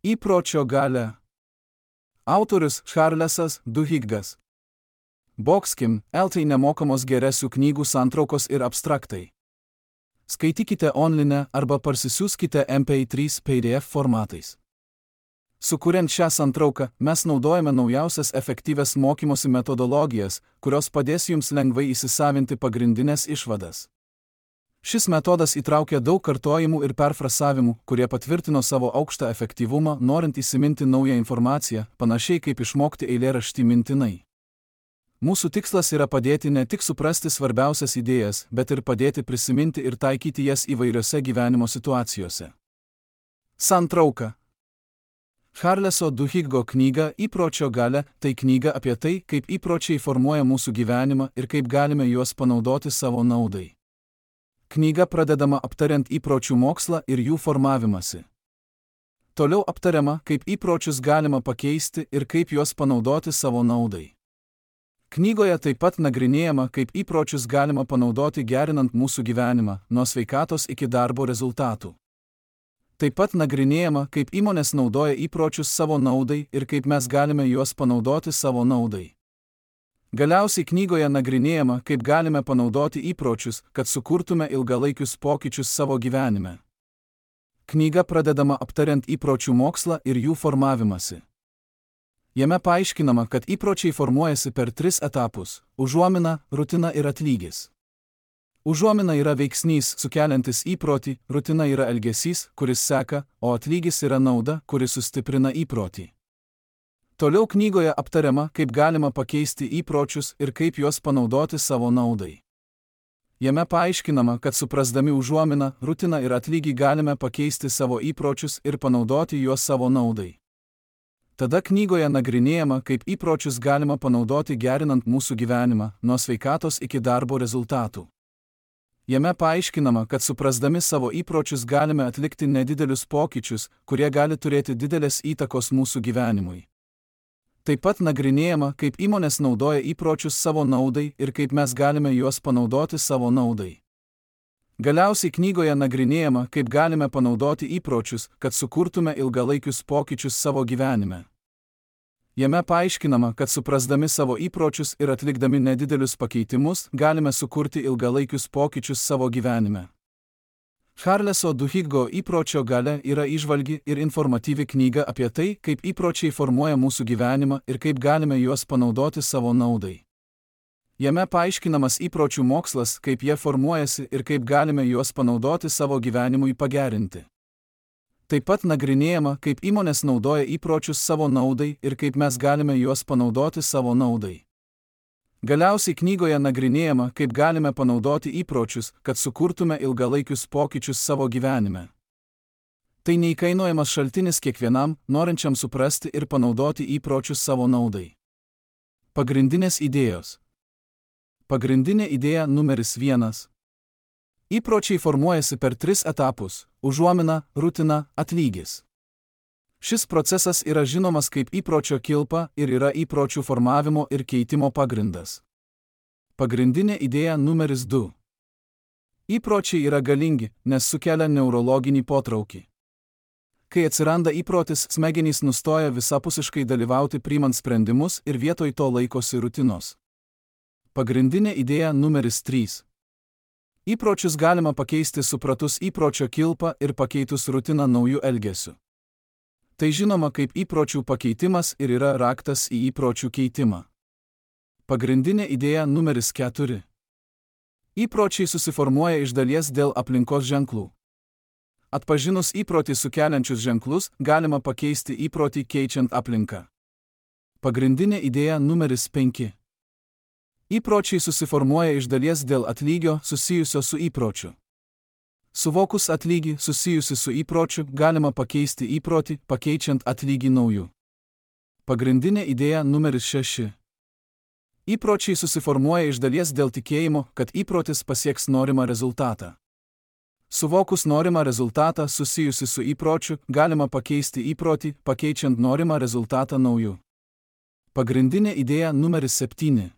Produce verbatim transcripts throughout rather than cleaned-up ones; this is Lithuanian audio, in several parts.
Įpročio galia. Autorius Charlesas Duhiggas. Boxkim, eltai nemokamos geresių knygų santraukos ir abstraktai. Skaitykite online arba parsisiųskite M P trys P D F formatais. Sukuriant šią santrauką, mes naudojame naujausias efektyvias mokymosi metodologijas, kurios padės jums lengvai įsisavinti pagrindinės išvadas. Šis metodas įtraukia daug kartojimų ir perfrasavimų, kurie patvirtino savo aukštą efektyvumą, norint įsiminti naują informaciją, panašiai kaip išmokti eilėraštį mintinai. Mūsų tikslas yra padėti ne tik suprasti svarbiausias idėjas, bet ir padėti prisiminti ir taikyti jas įvairiose gyvenimo situacijose. Santrauka. Charleso Duhiggo knyga Įpročio galia – tai knyga apie tai, kaip įpročiai formuoja mūsų gyvenimą ir kaip galime juos panaudoti savo naudai. Knyga pradedama aptariant įpročių mokslą ir jų formavimąsi. Toliau aptariama, kaip įpročius galima pakeisti ir kaip juos panaudoti savo naudai. Knygoje taip pat nagrinėjama, kaip įpročius galima panaudoti gerinant mūsų gyvenimą, nuo sveikatos iki darbo rezultatų. Taip pat nagrinėjama, kaip įmonės naudoja įpročius savo naudai ir kaip mes galime juos panaudoti savo naudai. Galiausiai knygoje nagrinėjama, kaip galime panaudoti įpročius, kad sukurtume ilgalaikius pokyčius savo gyvenime. Knyga pradedama aptariant įpročių mokslą ir jų formavimąsi. Jame paaiškinama, kad įpročiai formuojasi per tris etapus – užuomina, rutina ir atlygis. Užuomina yra veiksnys, sukeliantis įprotį, rutina yra elgesys, kuris seka, o atlygis yra nauda, kuris sustiprina įprotį. Toliau knygoje aptariama, kaip galima pakeisti įpročius ir kaip juos panaudoti savo naudai. Jame paaiškinama, kad suprasdami užuominą, rutiną ir atlygį galime pakeisti savo įpročius ir panaudoti juos savo naudai. Tada knygoje nagrinėjama, kaip įpročius galima panaudoti gerinant mūsų gyvenimą, nuo sveikatos iki darbo rezultatų. Jame paaiškinama, kad suprasdami savo įpročius galime atlikti nedidelius pokyčius, kurie gali turėti didelės įtakos mūsų gyvenimui. Taip pat nagrinėjama, kaip įmonės naudoja įpročius savo naudai ir kaip mes galime juos panaudoti savo naudai. Galiausiai knygoje nagrinėjama, kaip galime panaudoti įpročius, kad sukurtume ilgalaikius pokyčius savo gyvenime. Jame paaiškinama, kad suprasdami savo įpročius ir atlikdami nedidelius pakeitimus, galime sukurti ilgalaikius pokyčius savo gyvenime. Charleso Duhiggo Įpročio galia yra įžvalgi ir informatyvi knyga apie tai, kaip įpročiai formuoja mūsų gyvenimą ir kaip galime juos panaudoti savo naudai. Jame paaiškinamas įpročių mokslas, kaip jie formuojasi ir kaip galime juos panaudoti savo gyvenimui pagerinti. Taip pat nagrinėjama, kaip įmonės naudoja įpročius savo naudai ir kaip mes galime juos panaudoti savo naudai. Galiausiai knygoje nagrinėjama, kaip galime panaudoti įpročius, kad sukurtume ilgalaikius pokyčius savo gyvenime. Tai neįkainojamas šaltinis kiekvienam, norinčiam suprasti ir panaudoti įpročius savo naudai. Pagrindinės idėjos. Pagrindinė idėja numeris vienas. Įpročiai formuojasi per tris etapus – užuomina, rutina, atlygis. Šis procesas yra žinomas kaip įpročio kilpa ir yra įpročių formavimo ir keitimo pagrindas. Pagrindinė idėja numeris du. Įpročiai yra galingi, nes sukelia neurologinį potraukį. Kai atsiranda įprotis, smegenys nustoja visapusiškai dalyvauti priimant sprendimus ir vietoj to laikosi rutinos. Pagrindinė idėja numeris trys. Įpročius galima pakeisti supratus įpročio kilpą ir pakeitus rutiną naujų elgesių. Tai žinoma kaip įpročių pakeitimas ir yra raktas į įpročių keitimą. Pagrindinė idėja numeris keturi. Įpročiai susiformuoja iš dalies dėl aplinkos ženklų. Atpažinus įprotį sukeliančius ženklus, galima pakeisti įprotį keičiant aplinką. Pagrindinė idėja numeris penki. Įpročiai susiformuoja iš dalies dėl atlygio susijusio su įpročiu. Suvokus atlygį susijusi su įpročiu, galima pakeisti įprotį, pakeičiant atlygį naujų. Pagrindinė idėja numeris šeši. Įpročiai susiformuoja iš dalies dėl tikėjimo, kad įprotis pasieks norimą rezultatą. Suvokus norimą rezultatą susijusi su įpročiu, galima pakeisti įprotį, pakeičiant norimą rezultatą naujų. Pagrindinė idėja numeris septyni.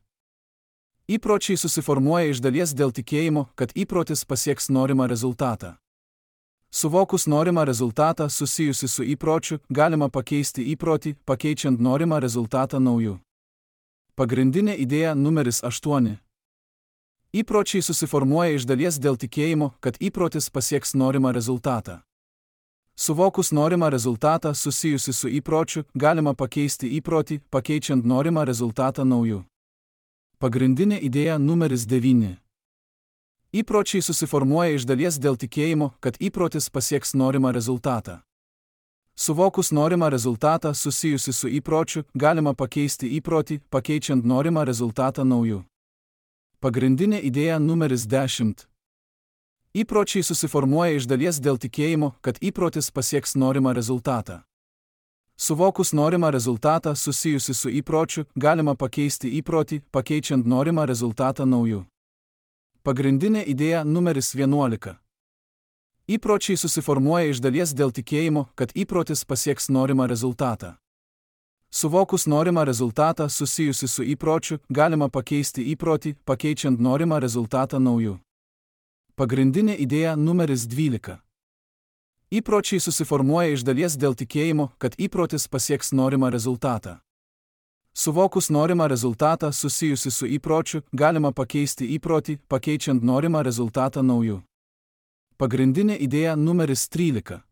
Įpročiai susiformuoja iš dalies dėl tikėjimo, kad įprotis pasieks norimą rezultatą. Suvokus norimą rezultatą susijusi su įpročiu, galima pakeisti įprotį, pakeičiant norimą rezultatą nauju. Pagrindinė idėja numeris aštuoni. Įpročiai susiformuoja iš dalies dėl tikėjimo, kad įprotis pasieks norimą rezultatą. Suvokus norimą rezultatą susijusi su įpročiu, galima pakeisti įprotį, pakeičiant norimą rezultatą nauju. Pagrindinė idėja numeris devyni. Įpročiai susiformuoja iš dalies dėl tikėjimo, kad įprotis pasieks norimą rezultatą. Suvokus norimą rezultatą susijusi su įpročiu, galima pakeisti įprotį, pakeičiant norimą rezultatą nauju. Pagrindinė idėja numeris dešimt. Įpročiai susiformuoja iš dalies dėl tikėjimo, kad įprotis pasieks norimą rezultatą. Suvokus norimą rezultatą susijusi su įpročiu, galima pakeisti įprotį, pakeičiant norimą rezultatą nauju. Pagrindinė idėja numeris vienuolika. Įpročiai susiformuoja iš dalies dėl tikėjimo, kad įprotis pasieks norimą rezultatą. Suvokus norimą rezultatą susijusi su įpročiu, galima pakeisti įprotį, pakeičiant norimą rezultatą nauju. Pagrindinė idėja numeris dvylika. Įpročiai susiformuoja iš dalies dėl tikėjimo, kad įprotis pasieks norimą rezultatą. Suvokus norimą rezultatą susijusi su įpročiu, galima pakeisti įprotį, pakeičiant norimą rezultatą nauju. Pagrindinė idėja numeris trylika.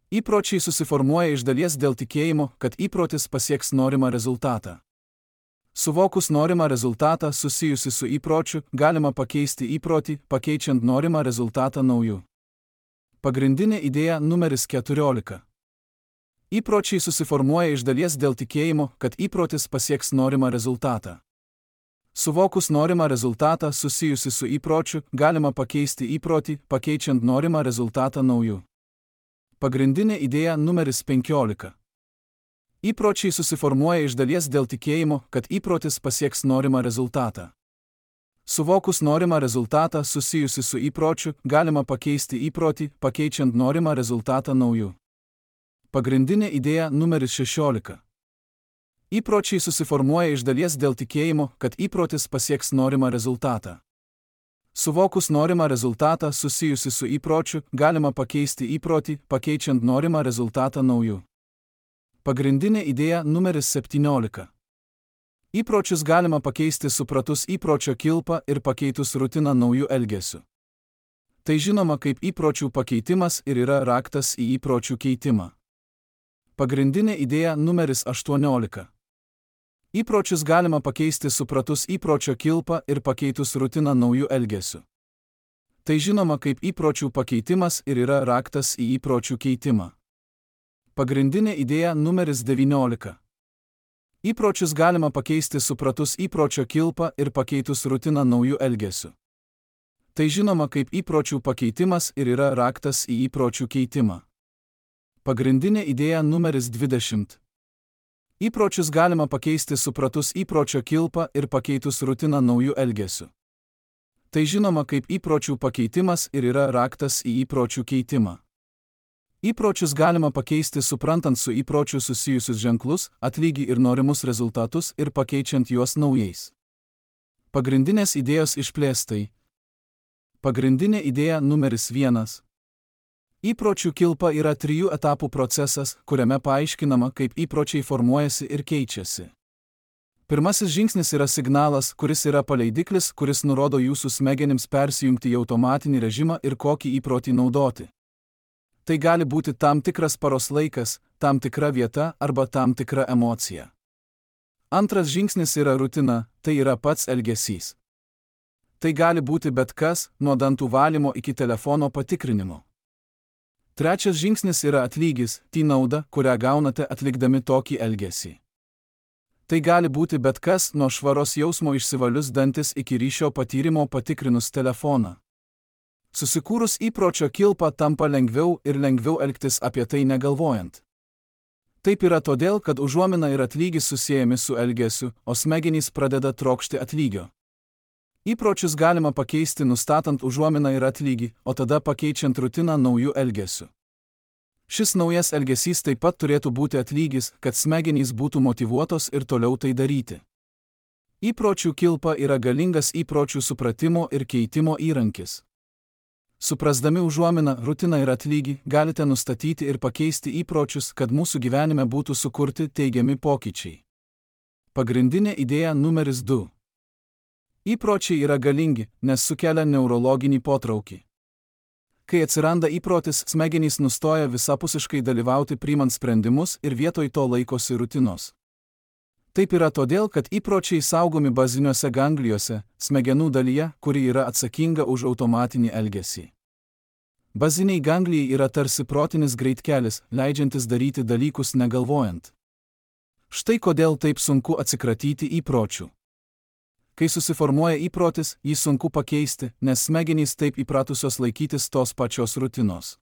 Įpročiai susiformuoja iš dalies dėl tikėjimo, kad įprotis pasieks norimą rezultatą. Suvokus norimą rezultatą susijusi su įpročiu, galima pakeisti įprotį, pakeičiant norimą rezultatą nauju. Pagrindinė idėja numeris keturiolika. Įpročiai susiformuoja iš dalies dėl tikėjimo, kad įprotis pasieks norimą rezultatą. Suvokus norimą rezultatą susijusi su įpročiu, galima pakeisti įprotį, pakeičiant norimą rezultatą nauju. Pagrindinė idėja numeris penkiolika. Įpročiai susiformuoja iš dalies dėl tikėjimo, kad įprotis pasieks norimą rezultatą. Suvokus norimą rezultatą susijusi su įpročiu, galima pakeisti įprotį, pakeičiant norimą rezultatą nauju. Pagrindinė idėja numeris šešiolika. Įpročiai susiformuoja iš dalies dėl tikėjimo, kad įprotis pasieks norimą rezultatą. Suvokus norimą rezultatą susijusi su įpročiu, galima pakeisti įprotį, pakeičiant norimą rezultatą nauju. Pagrindinė idėja numeris septyniolika. Įpročius galima pakeisti supratus įpročio kilpą ir pakeitus rutiną naujų elgesių. Tai žinoma kaip įpročių pakeitimas ir yra raktas į įpročių keitimą. Pagrindinė idėja numeris aštuoniolika. Įpročius galima pakeisti supratus įpročio kilpą ir pakeitus rutiną naujų elgesių. Tai žinoma kaip įpročių pakeitimas ir yra raktas į įpročių keitimą. Pagrindinė idėja numeris devyniolika. Įpročius galima pakeisti supratus įpročio kilpą ir pakeitus rutiną naujų elgesių. Tai žinoma kaip įpročių pakeitimas ir yra raktas į įpročių keitimą. Pagrindinė idėja numeris dvidešimt. Įpročius galima pakeisti supratus įpročio kilpą ir pakeitus rutiną naujų elgesių. Tai žinoma kaip įpročių pakeitimas ir yra raktas į įpročių keitimą. Įpročius galima pakeisti suprantant su įpročiu susijusius ženklus, atlygį ir norimus rezultatus ir pakeičiant juos naujais. Pagrindinės idėjos išplėstai. Pagrindinė idėja numeris vienas. Įpročių kilpa yra trijų etapų procesas, kuriame paaiškinama, kaip įpročiai formuojasi ir keičiasi. Pirmasis žingsnis yra signalas, kuris yra paleidiklis, kuris nurodo jūsų smegenims persijungti į automatinį režimą ir kokį įprotį naudoti. Tai gali būti tam tikras paros laikas, tam tikra vieta arba tam tikra emocija. Antras žingsnis yra rutina, tai yra pats elgesys. Tai gali būti bet kas, nuo dantų valymo iki telefono patikrinimo. Trečias žingsnis yra atlygis, tai nauda, kurią gaunate atlikdami tokį elgesį. Tai gali būti bet kas, nuo švaros jausmo išsivalius dantis iki ryšio patyrimo patikrinus telefoną. Susikūrus įpročio kilpą tampa lengviau ir lengviau elgtis apie tai negalvojant. Taip yra todėl, kad užuomina ir atlygis susiejami su elgesiu, o smegenys pradeda trokšti atlygio. Įpročius galima pakeisti nustatant užuominą ir atlygį, o tada pakeičiant rutiną naujų elgesių. Šis naujas elgesys taip pat turėtų būti atlygis, kad smegenys būtų motyvuotos ir toliau tai daryti. Įpročių kilpa yra galingas įpročių supratimo ir keitimo įrankis. Suprasdami užuominą, rutiną ir atlygį, galite nustatyti ir pakeisti įpročius, kad mūsų gyvenime būtų sukurti teigiami pokyčiai. Pagrindinė idėja numeris du. Įpročiai yra galingi, nes sukelia neurologinį potraukį. Kai atsiranda įprotis, smegenys nustoja visapusiškai dalyvauti priimant sprendimus ir vietoj to laikosi rutinos. Taip yra todėl, kad įpročiai saugomi baziniuose ganglijuose, smegenų dalyje, kuri yra atsakinga už automatinį elgesį. Baziniai ganglijai yra tarsi protinis greitkelis, leidžiantis daryti dalykus negalvojant. Štai kodėl taip sunku atsikratyti įpročių. Kai susiformuoja įprotis, jį sunku pakeisti, nes smegenys taip įpratusios laikytis tos pačios rutinos.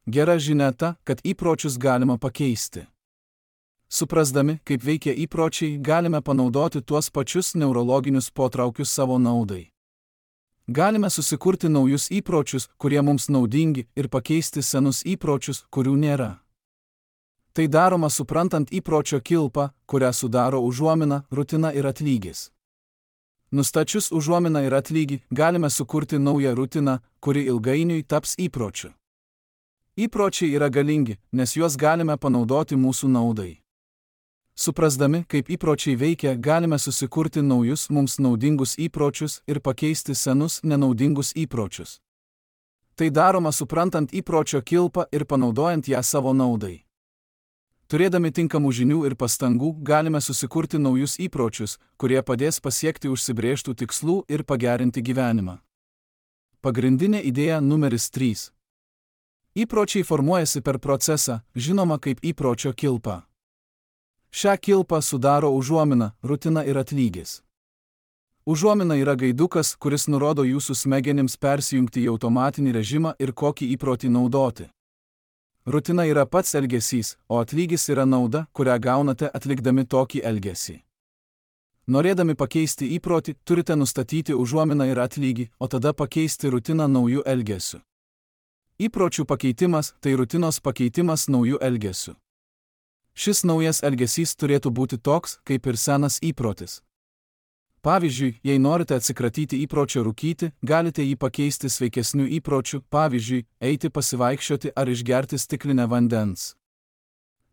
Gera žinia ta, kad įpročius galima pakeisti. Suprasdami, kaip veikia įpročiai, galime panaudoti tuos pačius neurologinius potraukius savo naudai. Galime susikurti naujus įpročius, kurie mums naudingi, ir pakeisti senus įpročius, kurių nėra. Tai daroma suprantant įpročio kilpą, kurią sudaro užuomina, rutina ir atlygis. Nustačius užuominą ir atlygį, galime sukurti naują rutiną, kuri ilgainiui taps įpročiu. Įpročiai yra galingi, nes juos galime panaudoti mūsų naudai. Suprasdami, kaip įpročiai veikia, galime susikurti naujus mums naudingus įpročius ir pakeisti senus nenaudingus įpročius. Tai daroma suprantant įpročio kilpą ir panaudojant ją savo naudai. Turėdami tinkamų žinių ir pastangų, galime susikurti naujus įpročius, kurie padės pasiekti užsibrėžtų tikslų ir pagerinti gyvenimą. Pagrindinė idėja numeris trys. Įpročiai formuojasi per procesą, žinoma kaip įpročio kilpa. Šią kilpą sudaro užuomina, rutina ir atlygis. Užuomina yra gaidukas, kuris nurodo jūsų smegenims persijungti į automatinį režimą ir kokį įprotį naudoti. Rutina yra pats elgesys, o atlygis yra nauda, kurią gaunate atlikdami tokį elgesį. Norėdami pakeisti įprotį, turite nustatyti užuominą ir atlygį, o tada pakeisti rutiną naujų elgesių. Įpročių pakeitimas – tai rutinos pakeitimas naujų elgesių. Šis naujas elgesys turėtų būti toks, kaip ir senas įprotis. Pavyzdžiui, jei norite atsikratyti įpročio rūkyti, galite jį pakeisti sveikesnių įpročių, pavyzdžiui, eiti pasivaikščioti ar išgerti stiklinę vandens.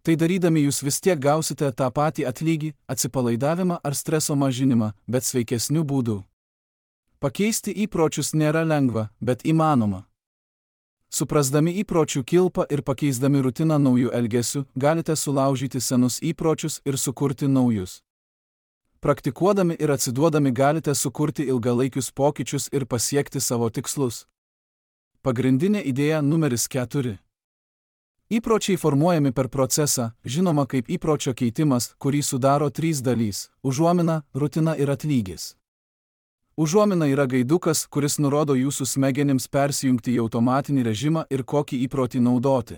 Tai darydami jūs vis tiek gausite tą patį atlygį, atsipalaidavimą ar streso mažinimą, bet sveikesnių būdų. Pakeisti įpročius nėra lengva, bet įmanoma. Suprasdami įpročių kilpą ir pakeisdami rutiną naujų elgesių, galite sulaužyti senus įpročius ir sukurti naujus. Praktikuodami ir atsiduodami galite sukurti ilgalaikius pokyčius ir pasiekti savo tikslus. Pagrindinė idėja numeris keturi. Įpročiai formuojami per procesą, žinoma kaip įpročio keitimas, kurį sudaro trys dalys – užuomina, rutina ir atlygis. Užuomina yra gaidukas, kuris nurodo jūsų smegenims persijungti į automatinį režimą ir kokį įprotį naudoti.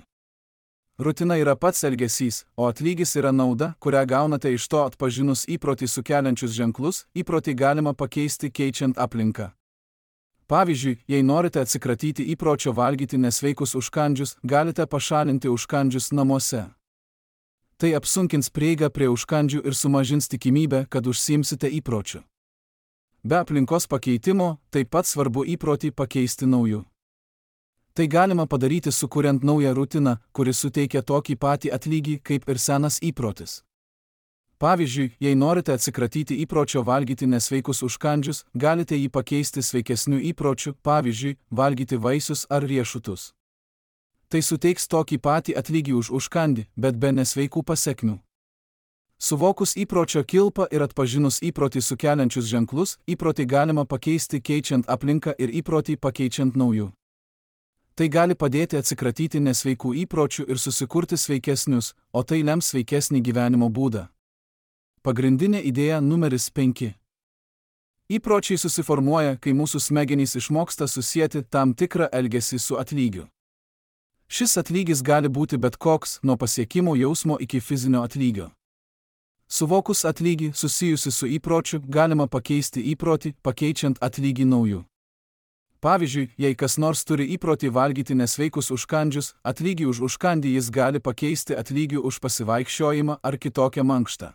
Rutina yra pats elgesys, o atlygis yra nauda, kurią gaunate iš to atpažinus įprotį sukeliančius ženklus, įprotį galima pakeisti keičiant aplinką. Pavyzdžiui, jei norite atsikratyti įpročio valgyti nesveikus užkandžius, galite pašalinti užkandžius namuose. Tai apsunkins prieigą prie užkandžių ir sumažins tikimybę, kad užsiimsite įpročiu. Be aplinkos pakeitimo, taip pat svarbu įprotį pakeisti nauju. Tai galima padaryti sukuriant naują rutiną, kuri suteikia tokį patį atlygį kaip ir senas įprotis. Pavyzdžiui, jei norite atsikratyti įpročio valgyti nesveikus užkandžius, galite jį pakeisti sveikesnių įpročių, pavyzdžiui, valgyti vaisius ar riešutus. Tai suteiks tokį patį atlygį už užkandį, bet be nesveikų pasekmių. Suvokus įpročio kilpą ir atpažinus įprotį sukeliančius ženklus, įprotį galima pakeisti keičiant aplinką ir įprotį pakeičiant naujų. Tai gali padėti atsikratyti nesveikų įpročių ir susikurti sveikesnius, o tai lems sveikesnį gyvenimo būdą. Pagrindinė idėja numeris penki. Įpročiai susiformuoja, kai mūsų smegenys išmoksta susieti tam tikrą elgesį su atlygiu. Šis atlygis gali būti bet koks, nuo pasiekimo jausmo iki fizinio atlygio. Suvokus atlygį susijusi su įpročiu, galima pakeisti įprotį, pakeičiant atlygį naujų. Pavyzdžiui, jei kas nors turi įprotį valgyti nesveikus užkandžius, atlygį už užkandį jis gali pakeisti atlygiu už pasivaikščiojimą ar kitokią mankštą.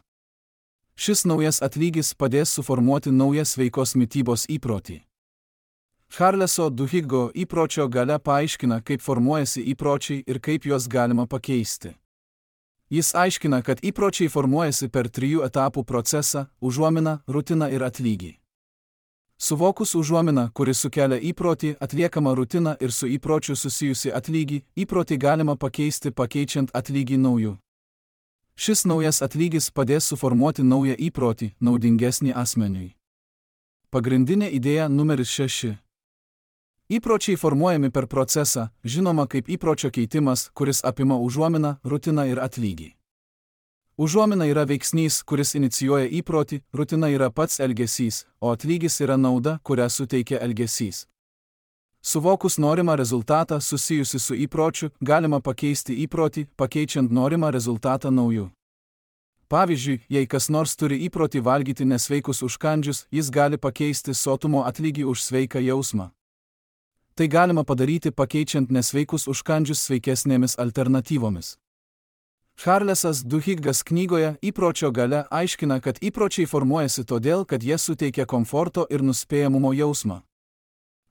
Šis naujas atlygis padės suformuoti naują sveikos mitybos įprotį. Charleso Duhiggo įpročio galia paaiškina, kaip formuojasi įpročiai ir kaip juos galima pakeisti. Jis aiškina, kad įpročiai formuojasi per trijų etapų procesą – užuominą, rutiną ir atlygį. Suvokus užuominą, kuris sukelia įprotį, atliekamą rutiną ir su įpročiu susijusi atlygį, įprotį galima pakeisti pakeičiant atlygį nauju. Šis naujas atlygis padės suformuoti naują įprotį, naudingesnį asmeniui. Pagrindinė idėja numeris šeši. Įpročiai formuojami per procesą, žinoma kaip įpročio keitimas, kuris apima užuominą, rutiną ir atlygį. Užuomina yra veiksnys, kuris inicijuoja įprotį, rutina yra pats elgesys, o atlygis yra nauda, kurią suteikia elgesys. Suvokus norimą rezultatą susijusi su įpročiu, galima pakeisti įprotį, pakeičiant norimą rezultatą nauju. Pavyzdžiui, jei kas nors turi įprotį valgyti nesveikus užkandžius, jis gali pakeisti sotumo atlygį už sveiką jausmą. Tai galima padaryti pakeičiant nesveikus užkandžius sveikesnėmis alternatyvomis. Charlesas Duhiggas knygoje Įpročio galia aiškina, kad įpročiai formuojasi todėl, kad jie suteikia komforto ir nuspėjamumo jausmą.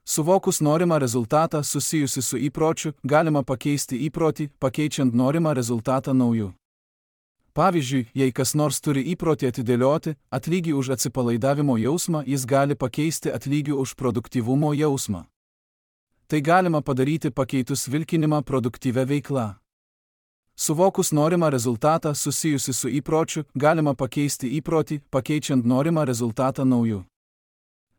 Suvokus norimą rezultatą susijusi su įpročiu, galima pakeisti įprotį, pakeičiant norimą rezultatą nauju. Pavyzdžiui, jei kas nors turi įprotį atidėlioti atlygį už atsipalaidavimo jausmą, jis gali pakeisti atlygį už produktyvumo jausmą. Tai galima padaryti pakeitus vilkinimą produktyvę veiklą. Suvokus norimą rezultatą susijusi su įpročiu, galima pakeisti įprotį, pakeičiant norimą rezultatą nauju.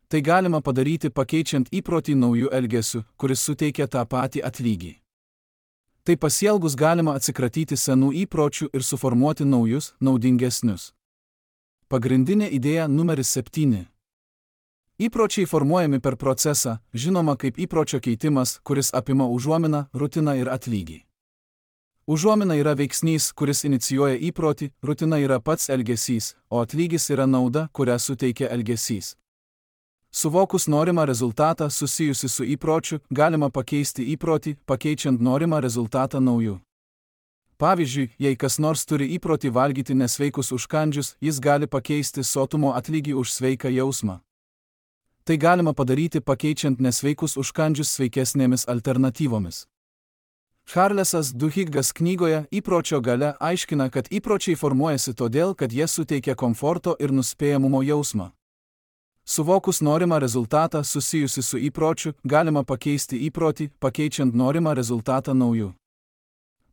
Tai galima padaryti pakeičiant įprotį naujų elgesių, kuris suteikia tą patį atlygį. Tai pasielgus galima atsikratyti senų įpročių ir suformuoti naujus, naudingesnius. Pagrindinė idėja numeris septyni. Įpročiai formuojami per procesą, žinoma kaip įpročio keitimas, kuris apima užuominą, rutiną ir atlygį. Užuomina yra veiksnys, kuris inicijuoja įprotį, rutina yra pats elgesys, o atlygis yra nauda, kurią suteikia elgesys. Suvokus norimą rezultatą susijusi su įpročiu, galima pakeisti įprotį, pakeičiant norimą rezultatą nauju. Pavyzdžiui, jei kas nors turi įprotį valgyti nesveikus užkandžius, jis gali pakeisti sotumo atlygį už sveiką jausmą. Tai galima padaryti pakeičiant nesveikus užkandžius sveikesnėmis alternatyvomis. Charlesas Duhiggas knygoje Įpročio galia aiškina, kad įpročiai formuojasi todėl, kad jie suteikia komforto ir nuspėjamumo jausmą. Suvokus norimą rezultatą susijusi su įpročiu, galima pakeisti įprotį, pakeičiant norimą rezultatą nauju.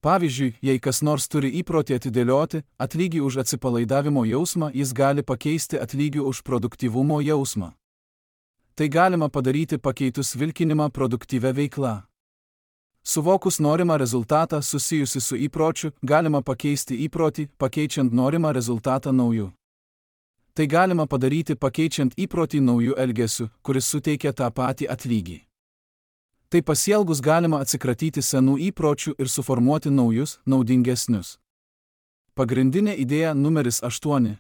Pavyzdžiui, jei kas nors turi įprotį atidėlioti atlygį už atsipalaidavimo jausmą, jis gali pakeisti atlygį už produktyvumo jausmą. Tai galima padaryti pakeitus vilkinimą produktyvę veiklą. Suvokus norimą rezultatą susijusi su įpročiu, galima pakeisti įprotį, pakeičiant norimą rezultatą nauju. Tai galima padaryti pakeičiant įprotį naujų elgesių, kuris suteikia tą patį atlygį. Tai pasielgus galima atsikratyti senų įpročių ir suformuoti naujus, naudingesnius. Pagrindinė idėja numeris aštuoni.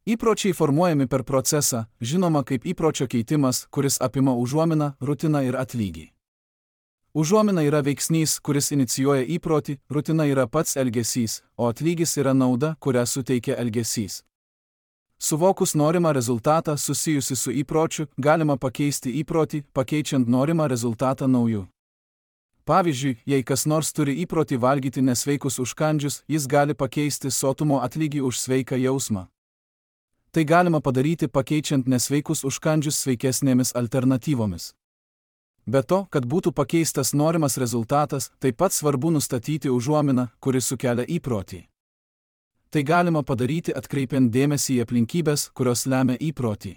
Įpročiai formuojami per procesą, žinoma kaip įpročio keitimas, kuris apima užuominą, rutiną ir atlygį. Užuomina yra veiksnys, kuris inicijuoja įprotį, rutina yra pats elgesys, o atlygis yra nauda, kurią suteikia elgesys. Suvokus norimą rezultatą susijusi su įpročiu, galima pakeisti įprotį, pakeičiant norimą rezultatą nauju. Pavyzdžiui, jei kas nors turi įprotį valgyti nesveikus užkandžius, jis gali pakeisti sotumo atlygį už sveiką jausmą. Tai galima padaryti pakeičiant nesveikus užkandžius sveikesnėmis alternatyvomis. Be to, kad būtų pakeistas norimas rezultatas, taip pat svarbu nustatyti užuominą, kuri sukelia įprotį. Tai galima padaryti atkreipiant dėmesį į aplinkybės, kurios lemia įprotį.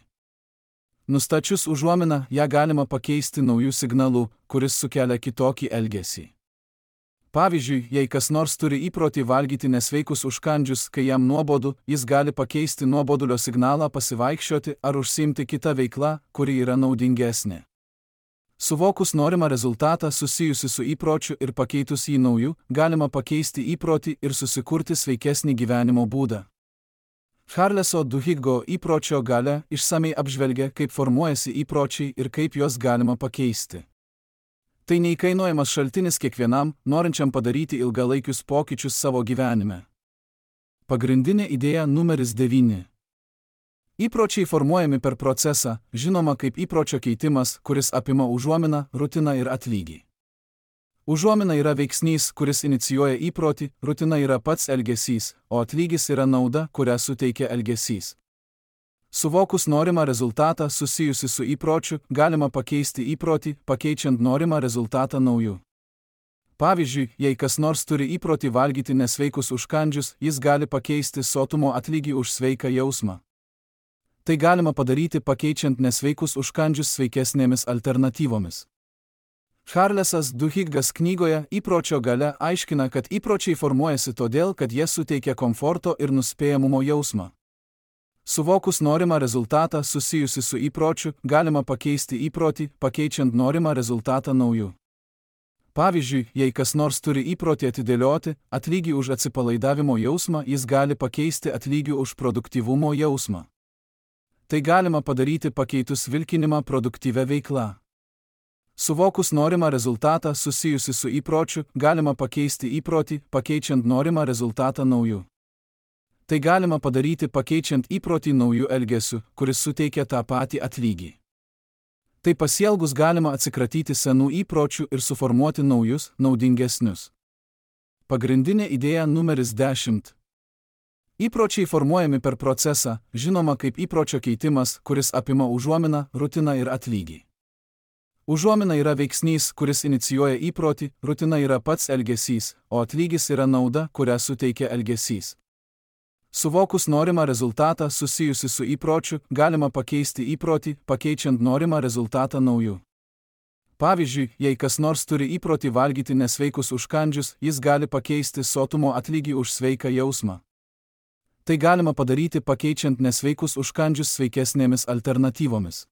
Nustačius užuominą, ją galima pakeisti naujų signalų, kuris sukelia kitokį elgesį. Pavyzdžiui, jei kas nors turi įprotį valgyti nesveikus užkandžius, kai jam nuobodu, jis gali pakeisti nuobodulio signalą pasivaikščioti ar užsiimti kitą veiklą, kuri yra naudingesnė. Suvokus norimą rezultatą susijusi su įpročiu ir pakeitus jį nauju, galima pakeisti įprotį ir susikurti sveikesnį gyvenimo būdą. Charleso Duhiggo Įpročio galia išsamei apžvelgia, kaip formuojasi įpročiai ir kaip juos galima pakeisti. Tai neįkainojamas šaltinis kiekvienam, norinčiam padaryti ilgalaikius pokyčius savo gyvenime. Pagrindinė idėja numeris devyni. Įpročiai formuojami per procesą, žinoma kaip įpročio keitimas, kuris apima užuominą, rutiną ir atlygį. Užuomina yra veiksnys, kuris inicijuoja įprotį, rutina yra pats elgesys, o atlygis yra nauda, kurią suteikia elgesys. Suvokus norimą rezultatą susijusi su įpročiu, galima pakeisti įprotį, pakeičiant norimą rezultatą nauju. Pavyzdžiui, jei kas nors turi įprotį valgyti nesveikus užkandžius, jis gali pakeisti sotumo atlygį už sveiką jausmą. Tai galima padaryti pakeičiant nesveikus užkandžius sveikesnėmis alternatyvomis. Charlesas Duhiggas knygoje Įpročio galia aiškina, kad įpročiai formuojasi todėl, kad jie suteikia komforto ir nuspėjamumo jausmą. Suvokus norimą rezultatą susijusi su įpročiu, galima pakeisti įprotį, pakeičiant norimą rezultatą nauju. Pavyzdžiui, jei kas nors turi įprotį atidėlioti atlygį už atsipalaidavimo jausmą, jis gali pakeisti atlygį už produktyvumo jausmą. Tai galima padaryti pakeitus vilkinimą produktyvę veiklą. Suvokus norimą rezultatą susijusi su įpročiu, galima pakeisti įprotį, pakeičiant norimą rezultatą nauju. Tai galima padaryti pakeičiant įprotį naujų elgesių, kuris suteikia tą patį atlygį. Tai pasielgus galima atsikratyti senų įpročių ir suformuoti naujus, naudingesnius. Pagrindinė idėja numeris dešimt. Įpročiai formuojami per procesą, žinoma kaip įpročio keitimas, kuris apima užuominą, rutiną ir atlygį. Užuomina yra veiksnys, kuris inicijuoja įprotį, rutina yra pats elgesys, o atlygis yra nauda, kurią suteikia elgesys. Suvokus norimą rezultatą susijusi su įpročiu, galima pakeisti įprotį, pakeičiant norimą rezultatą nauju. Pavyzdžiui, jei kas nors turi įprotį valgyti nesveikus užkandžius, jis gali pakeisti sotumo atlygį už sveiką jausmą. Tai galima padaryti pakeičiant nesveikus užkandžius sveikesnėmis alternatyvomis.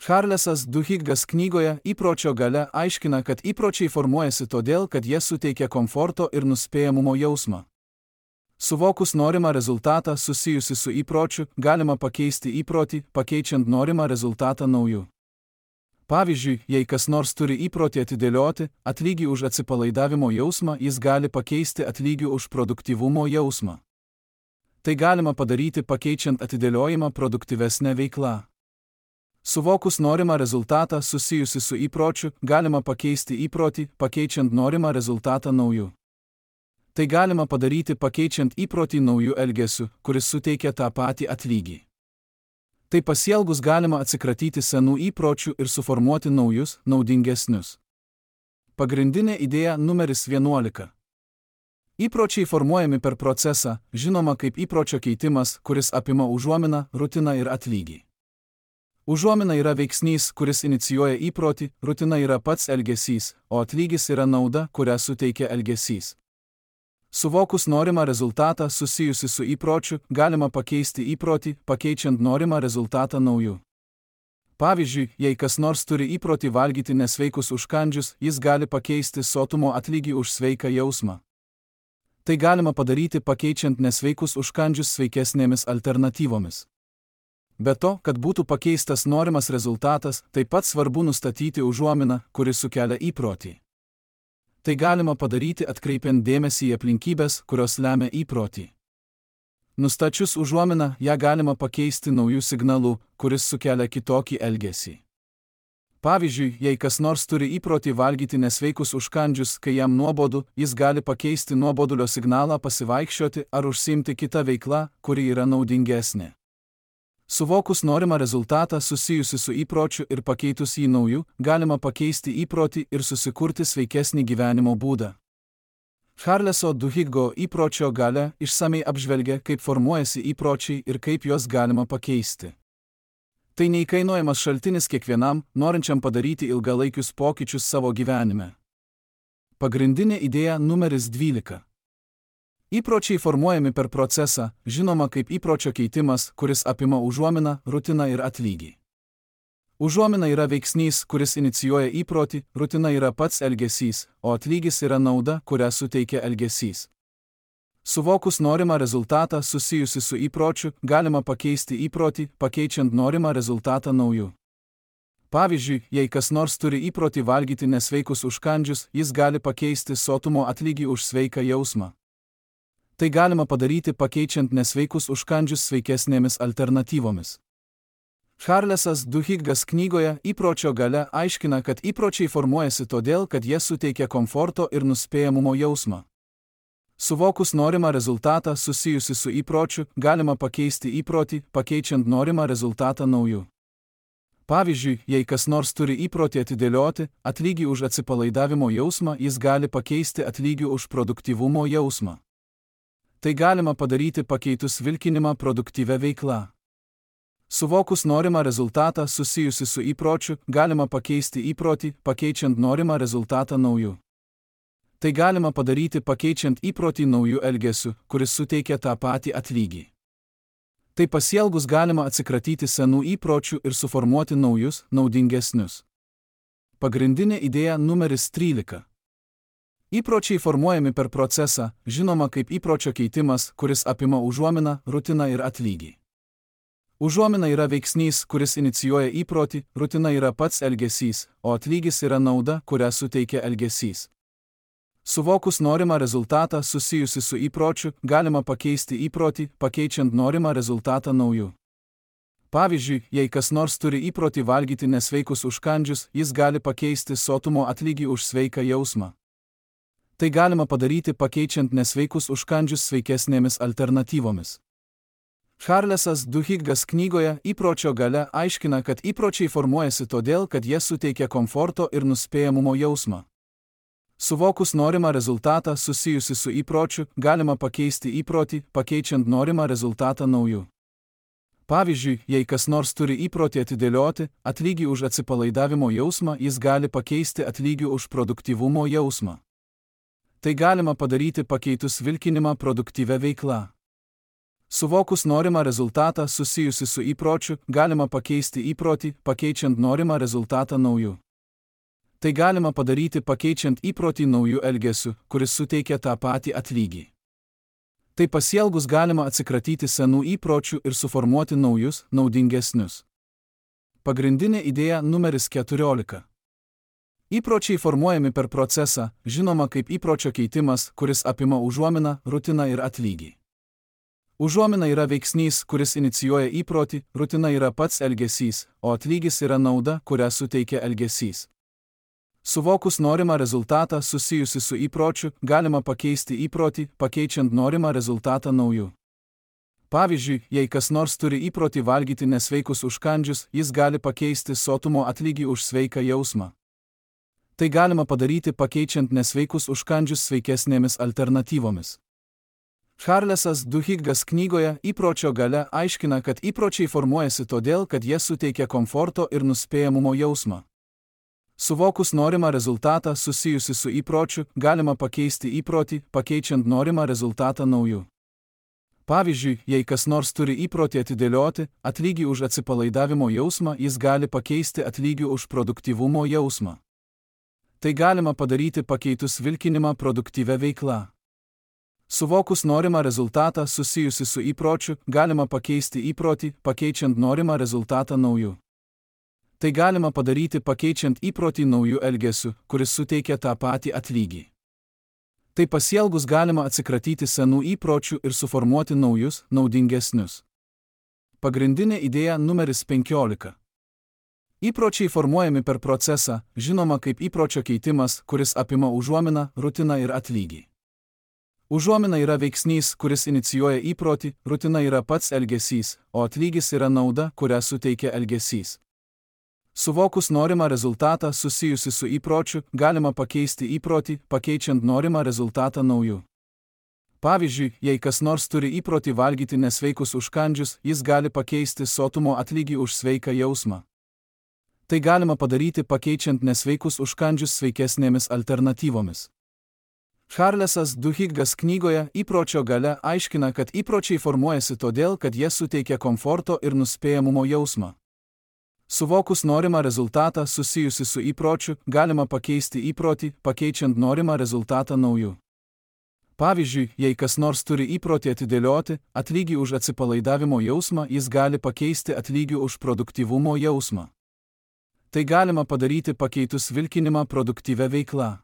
Charlesas Duhiggas knygoje Įpročio galia aiškina, kad įpročiai formuojasi todėl, kad jie suteikia komforto ir nuspėjamumo jausmą. Suvokus norimą rezultatą susijusi su įpročiu, galima pakeisti įprotį, pakeičiant norimą rezultatą nauju. Pavyzdžiui, jei kas nors turi įprotį atidėlioti atlygį už atsipalaidavimo jausmą, jis gali pakeisti atlygį už produktyvumo jausmą. Tai galima padaryti pakeičiant atidėliojimą produktyvesnę veiklą. Suvokus norimą rezultatą susijusi su įpročiu, galima pakeisti įprotį, pakeičiant norimą rezultatą nauju. Tai galima padaryti pakeičiant įprotį naujų elgesių, kuris suteikia tą patį atlygį. Tai pasielgus galima atsikratyti senų įpročių ir suformuoti naujus, naudingesnius. Pagrindinė idėja numeris vienuolika. Įpročiai formuojami per procesą, žinoma kaip įpročio keitimas, kuris apima užuominą, rutiną ir atlygį. Užuomina yra veiksnys, kuris inicijuoja įprotį, rutina yra pats elgesys, o atlygis yra nauda, kurią suteikia elgesys. Suvokus norimą rezultatą susijusi su įpročiu, galima pakeisti įprotį, pakeičiant norimą rezultatą nauju. Pavyzdžiui, jei kas nors turi įprotį valgyti nesveikus užkandžius, jis gali pakeisti sotumo atlygį už sveiką jausmą. Tai galima padaryti pakeičiant nesveikus užkandžius sveikesnėmis alternatyvomis. Be to, kad būtų pakeistas norimas rezultatas, taip pat svarbu nustatyti užuominą, kuri sukelia įprotį. Tai galima padaryti atkreipiant dėmesį į aplinkybės, kurios lemia įprotį. Nustačius užuominą, ją galima pakeisti naujų signalų, kuris sukelia kitokį elgesį. Pavyzdžiui, jei kas nors turi įprotį valgyti nesveikus užkandžius, kai jam nuobodu, jis gali pakeisti nuobodulio signalą pasivaikščioti ar užsiimti kitą veiklą, kuri yra naudingesnė. Suvokus norimą rezultatą susijusi su įpročiu ir pakeitus jį nauju, galima pakeisti įprotį ir susikurti sveikesnį gyvenimo būdą. Charleso Duhiggo Įpročio galia išsamei apžvelgia, kaip formuojasi įpročiai ir kaip juos galima pakeisti. Tai neįkainojamas šaltinis kiekvienam, norinčiam padaryti ilgalaikius pokyčius savo gyvenime. Pagrindinė idėja numeris dvylika. Įpročiai formuojami per procesą, žinoma kaip įpročio keitimas, kuris apima užuominą, rutiną ir atlygį. Užuomina yra veiksnys, kuris inicijuoja įprotį, rutina yra pats elgesys, o atlygis yra nauda, kurią suteikia elgesys. Suvokus norimą rezultatą susijusi su įpročiu, galima pakeisti įprotį, pakeičiant norimą rezultatą nauju. Pavyzdžiui, jei kas nors turi įprotį valgyti nesveikus užkandžius, jis gali pakeisti sotumo atlygį už sveiką jausmą. Tai galima padaryti pakeičiant nesveikus užkandžius sveikesnėmis alternatyvomis. Charlesas Duhiggas knygoje Įpročio galia aiškina, kad įpročiai formuojasi todėl, kad jie suteikia komforto ir nuspėjamumo jausmą. Suvokus norimą rezultatą susijusi su įpročiu, galima pakeisti įprotį, pakeičiant norimą rezultatą nauju. Pavyzdžiui, jei kas nors turi įprotį atidėlioti atlygį už atsipalaidavimo jausmą, jis gali pakeisti atlygį už produktyvumo jausmą. Tai galima padaryti pakeitus vilkinimą produktyvę veiklą. Suvokus norimą rezultatą susijusi su įpročiu, galima pakeisti įprotį, pakeičiant norimą rezultatą nauju. Tai galima padaryti pakeičiant įprotį naujų elgesių, kuris suteikia tą patį atlygį. Tai pasielgus galima atsikratyti senų įpročių ir suformuoti naujus, naudingesnius. Pagrindinė idėja numeris trylika. Įpročiai formuojami per procesą, žinoma kaip įpročio keitimas, kuris apima užuominą, rutiną ir atlygį. Užuomina yra veiksnys, kuris inicijuoja įprotį, rutina yra pats elgesys, o atlygis yra nauda, kurią suteikia elgesys. Suvokus norimą rezultatą susijusi su įpročiu, galima pakeisti įprotį, pakeičiant norimą rezultatą nauju. Pavyzdžiui, jei kas nors turi įprotį valgyti nesveikus užkandžius, jis gali pakeisti sotumo atlygį už sveiką jausmą. Tai galima padaryti pakeičiant nesveikus užkandžius sveikesnėmis alternatyvomis. Charlesas Duhiggas knygoje Įpročio galia aiškina, kad įpročiai formuojasi todėl, kad jie suteikia komforto ir nuspėjamumo jausmą. Suvokus norimą rezultatą susijusi su įpročiu, galima pakeisti įprotį, pakeičiant norimą rezultatą nauju. Pavyzdžiui, jei kas nors turi įprotį atidėlioti atlygį už atsipalaidavimo jausmą, jis gali pakeisti atlygį už produktyvumo jausmą. Tai galima padaryti pakeitus vilkinimą produktyvę veiklą. Suvokus norimą rezultatą susijusi su įpročiu, galima pakeisti įprotį, pakeičiant norimą rezultatą nauju. Tai galima padaryti pakeičiant įprotį naujų elgesių, kuris suteikia tą patį atlygį. Tai pasielgus galima atsikratyti senų įpročių ir suformuoti naujus, naudingesnius. Pagrindinė idėja numeris keturiolika. Įpročiai formuojami per procesą, žinoma kaip įpročio keitimas, kuris apima užuominą, rutiną ir atlygį. Užuomina yra veiksnys, kuris inicijuoja įprotį, rutina yra pats elgesys, o atlygis yra nauda, kurią suteikia elgesys. Suvokus norimą rezultatą susijusi su įpročiu, galima pakeisti įprotį, pakeičiant norimą rezultatą nauju. Pavyzdžiui, jei kas nors turi įprotį valgyti nesveikus užkandžius, jis gali pakeisti sotumo atlygį už sveiką jausmą. Tai galima padaryti pakeičiant nesveikus užkandžius sveikesnėmis alternatyvomis. Charlesas Duhiggas knygoje Įpročio galia aiškina, kad įpročiai formuojasi todėl, kad jie suteikia komforto ir nuspėjamumo jausmą. Suvokus norimą rezultatą susijusi su įpročiu, galima pakeisti įprotį, pakeičiant norimą rezultatą nauju. Pavyzdžiui, jei kas nors turi įprotį atidėlioti atlygį už atsipalaidavimo jausmą, jis gali pakeisti atlygį už produktyvumo jausmą. Tai galima padaryti pakeitus vilkinimą produktyvę veiklą. Suvokus norimą rezultatą susijusi su įpročiu, galima pakeisti įprotį, pakeičiant norimą rezultatą nauju. Tai galima padaryti pakeičiant įprotį naujų elgesių, kuris suteikia tą patį atlygį. Tai pasielgus galima atsikratyti senų įpročių ir suformuoti naujus, naudingesnius. Pagrindinė idėja numeris penkiolika. Įpročiai formuojami per procesą, žinoma kaip įpročio keitimas, kuris apima užuominą, rutiną ir atlygį. Užuomina yra veiksnys, kuris inicijuoja įprotį, rutina yra pats elgesys, o atlygis yra nauda, kurią suteikia elgesys. Suvokus norimą rezultatą susijusi su įpročiu, galima pakeisti įprotį, pakeičiant norimą rezultatą nauju. Pavyzdžiui, jei kas nors turi įprotį valgyti nesveikus užkandžius, jis gali pakeisti sotumo atlygį už sveiką jausmą. Tai galima padaryti pakeičiant nesveikus užkandžius sveikesnėmis alternatyvomis. Charlesas Duhiggas knygoje Įpročio galia aiškina, kad įpročiai formuojasi todėl, kad jie suteikia komforto ir nuspėjamumo jausmą. Suvokus norimą rezultatą susijusi su įpročiu, galima pakeisti įprotį, pakeičiant norimą rezultatą nauju. Pavyzdžiui, jei kas nors turi įprotį atidėlioti atlygį už atsipalaidavimo jausmą, jis gali pakeisti atlygį už produktyvumo jausmą. Tai galima padaryti pakeitus vilkinimą produktyvę veiklą.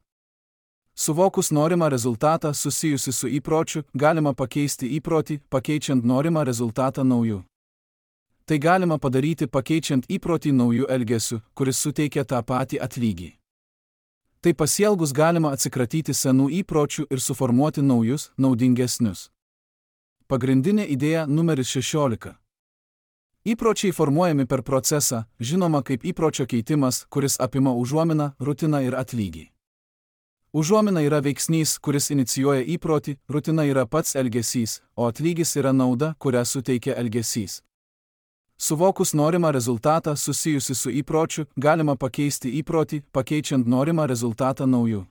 Suvokus norimą rezultatą susijusi su įpročiu, galima pakeisti įprotį, pakeičiant norimą rezultatą nauju. Tai galima padaryti pakeičiant įprotį naujų elgesių, kuris suteikia tą patį atlygį. Tai pasielgus galima atsikratyti senų įpročių ir suformuoti naujus, naudingesnius. Pagrindinė idėja numeris šešiolika. Įpročiai formuojami per procesą, žinoma kaip įpročio keitimas, kuris apima užuominą, rutiną ir atlygį. Užuomina yra veiksnys, kuris inicijuoja įprotį, rutina yra pats elgesys, o atlygis yra nauda, kurią suteikia elgesys. Suvokus norimą rezultatą susijusi su įpročiu, galima pakeisti įprotį, pakeičiant norimą rezultatą nauju.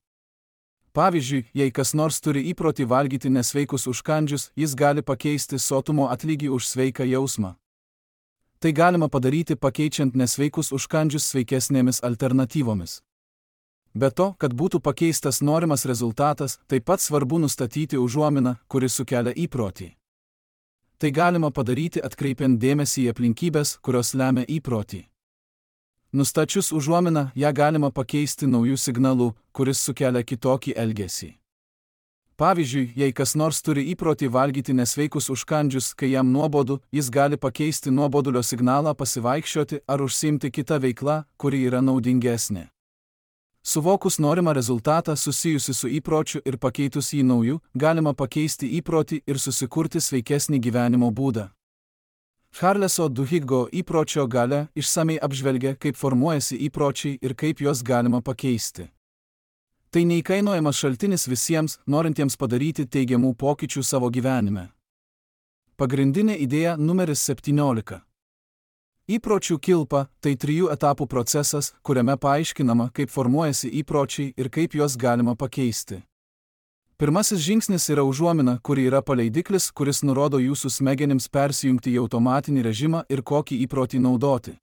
Pavyzdžiui, jei kas nors turi įprotį valgyti nesveikus užkandžius, jis gali pakeisti sotumo atlygį už sveiką jausmą. Tai galima padaryti pakeičiant nesveikus užkandžius sveikesnėmis alternatyvomis. Be to, kad būtų pakeistas norimas rezultatas, taip pat svarbu nustatyti užuominą, kuri sukelia įprotį. Tai galima padaryti atkreipiant dėmesį į aplinkybės, kurios lemia įprotį. Nustačius užuominą, ją galima pakeisti naujų signalų, kuris sukelia kitokį elgesį. Pavyzdžiui, jei kas nors turi įprotį valgyti nesveikus užkandžius, kai jam nuobodu, jis gali pakeisti nuobodulio signalą pasivaikščioti ar užsiimti kitą veiklą, kuri yra naudingesnė. Suvokus norimą rezultatą susijusi su įpročiu ir pakeitus jį nauju, galima pakeisti įprotį ir susikurti sveikesnį gyvenimo būdą. Charleso Duhiggo įpročio galia išsamei apžvelgia, kaip formuojasi įpročiai ir kaip juos galima pakeisti. Tai neįkainojamas šaltinis visiems, norintiems padaryti teigiamų pokyčių savo gyvenime. Pagrindinė idėja numeris septyniolika. Įpročių kilpa – tai trijų etapų procesas, kuriame paaiškinama, kaip formuojasi įpročiai ir kaip juos galima pakeisti. Pirmasis žingsnis yra užuomina, kuri yra paleidiklis, kuris nurodo jūsų smegenims persijungti į automatinį režimą ir kokį įprotį naudoti.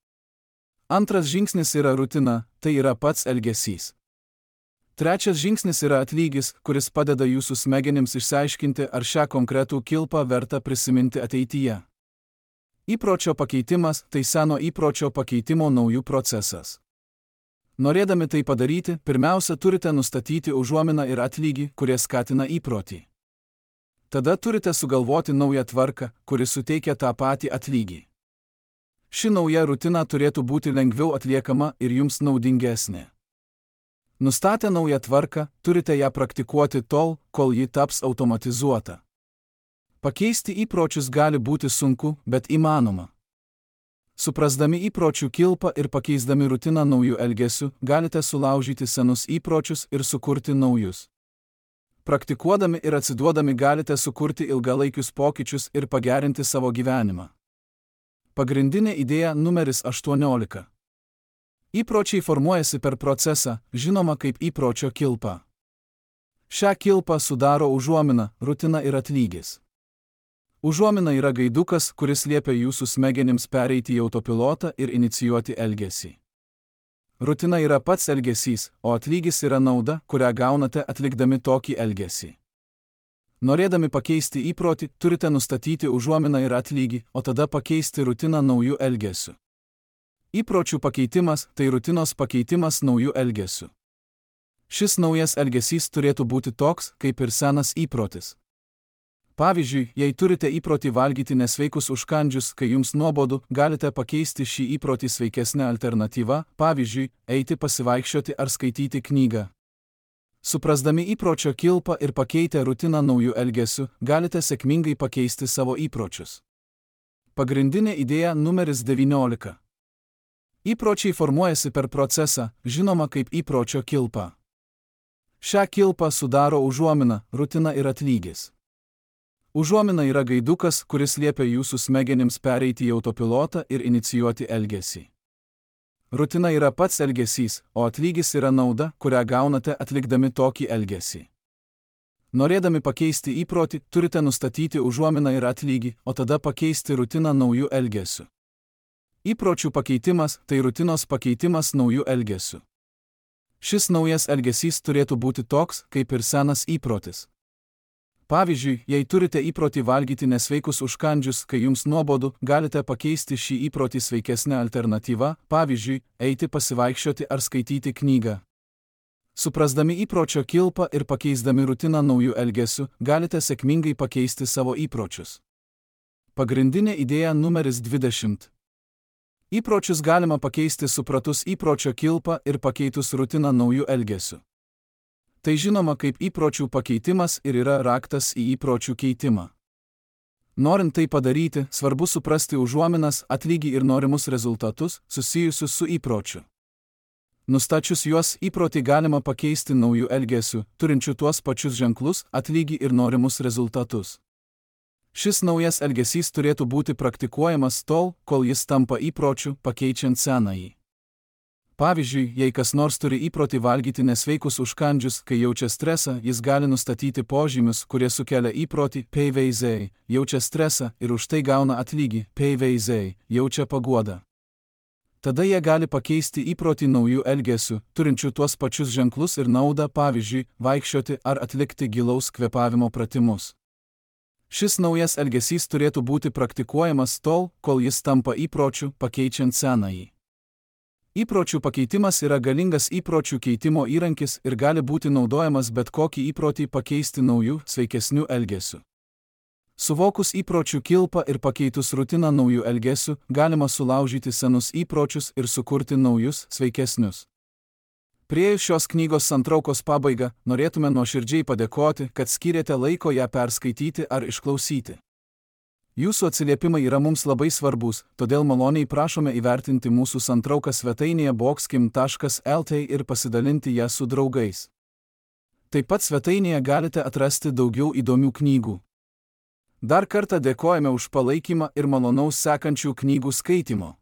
Antras žingsnis yra rutina, tai yra pats elgesys. Trečias žingsnis yra atlygis, kuris padeda jūsų smegenims išsiaiškinti, ar šią konkretų kilpą verta prisiminti ateityje. Įpročio pakeitimas – tai seno įpročio pakeitimo naujų procesas. Norėdami tai padaryti, pirmiausia turite nustatyti užuominą ir atlygį, kurie skatina įprotį. Tada turite sugalvoti naują tvarką, kuri suteikia tą patį atlygį. Ši nauja rutina turėtų būti lengviau atliekama ir jums naudingesnė. Nustatę naują tvarką, turite ją praktikuoti tol, kol ji taps automatizuota. Pakeisti įpročius gali būti sunku, bet įmanoma. Suprasdami įpročių kilpą ir pakeisdami rutiną naujų elgesių, galite sulaužyti senus įpročius ir sukurti naujus. Praktikuodami ir atsiduodami galite sukurti ilgalaikius pokyčius ir pagerinti savo gyvenimą. Pagrindinė idėja numeris aštuoniolika. Įpročiai formuojasi per procesą, žinoma kaip įpročio kilpa. Šią kilpą sudaro užuomina, rutina ir atlygis. Užuomina yra gaidukas, kuris liepia jūsų smegenims pereiti į autopilotą ir inicijuoti elgesį. Rutina yra pats elgesys, o atlygis yra nauda, kurią gaunate atlikdami tokį elgesį. Norėdami pakeisti įprotį, turite nustatyti užuominą ir atlygį, o tada pakeisti rutiną naujų elgesių. Įpročių pakeitimas – tai rutinos pakeitimas naujų elgesių. Šis naujas elgesys turėtų būti toks, kaip ir senas įprotis. Pavyzdžiui, jei turite įprotį valgyti nesveikus užkandžius, kai jums nuobodu, galite pakeisti šį įprotį sveikesnę alternatyvą, pavyzdžiui, eiti pasivaikščioti ar skaityti knygą. Suprasdami įpročio kilpą ir pakeitę rutiną naujų elgesių, galite sėkmingai pakeisti savo įpročius. Pagrindinė idėja numeris devyniolika. Įpročiai formuojasi per procesą, žinoma kaip įpročio kilpa. Šią kilpą sudaro užuomina, rutina ir atlygis. Užuomina yra gaidukas, kuris liepia jūsų smegenims pereiti į autopilotą ir inicijuoti elgesį. Rutina yra pats elgesys, o atlygis yra nauda, kurią gaunate atlikdami tokį elgesį. Norėdami pakeisti įprotį, turite nustatyti užuominą ir atlygį, o tada pakeisti rutiną naujų elgesių. Įpročių pakeitimas – tai rutinos pakeitimas naujų elgesių. Šis naujas elgesys turėtų būti toks, kaip ir senas įprotis. Pavyzdžiui, jei turite įprotį valgyti nesveikus užkandžius, kai jums nuobodu, galite pakeisti šį įprotį sveikesnę alternatyvą, pavyzdžiui, eiti pasivaikščioti ar skaityti knygą. Suprasdami įpročio kilpą ir pakeisdami rutiną naujų elgesių, galite sėkmingai pakeisti savo įpročius. Pagrindinė idėja numeris dvidešimt. Įpročius galima pakeisti supratus įpročio kilpą ir pakeitus rutiną naujų elgesių. Tai žinoma kaip įpročių pakeitimas ir yra raktas į įpročių keitimą. Norint tai padaryti, svarbu suprasti užuominas, atlygį ir norimus rezultatus, susijusius su įpročiu. Nustačius juos, įprotį galima pakeisti naujų elgesių, turinčių tuos pačius ženklus, atlygį ir norimus rezultatus. Šis naujas elgesys turėtų būti praktikuojamas tol, kol jis tampa įpročiu, pakeičiant senąjį. Pavyzdžiui, jei kas nors turi įprotį valgyti nesveikus užkandžius, kai jaučia stresą, jis gali nustatyti požymius, kurie sukelia įprotį, P V Z, jaučia stresą ir už tai gauna atlygį, P V Z, jaučia paguodą. Tada jie gali pakeisti įprotį naujų elgesių, turinčių tuos pačius ženklus ir naudą, pavyzdžiui, vaikščioti ar atlikti gilaus kvėpavimo pratimus. Šis naujas elgesys turėtų būti praktikuojamas tol, kol jis tampa įpročiu, pakeičiant senąjį. Įpročių pakeitimas yra galingas įpročių keitimo įrankis ir gali būti naudojamas bet kokį įprotį pakeisti naujų, sveikesnių elgesių. Suvokus įpročių kilpą ir pakeitus rutiną naujų elgesių, galima sulaužyti senus įpročius ir sukurti naujus, sveikesnius. Priėjus šios knygos santraukos pabaigą, norėtume nuoširdžiai padėkoti, kad skyrėte laiko ją perskaityti ar išklausyti. Jūsų atsiliepimai yra mums labai svarbus, todėl maloniai prašome įvertinti mūsų santrauką svetainėje boxkim taškas el t ir pasidalinti ją su draugais. Taip pat svetainėje galite atrasti daugiau įdomių knygų. Dar kartą dėkojame už palaikymą ir malonaus sekančių knygų skaitymo.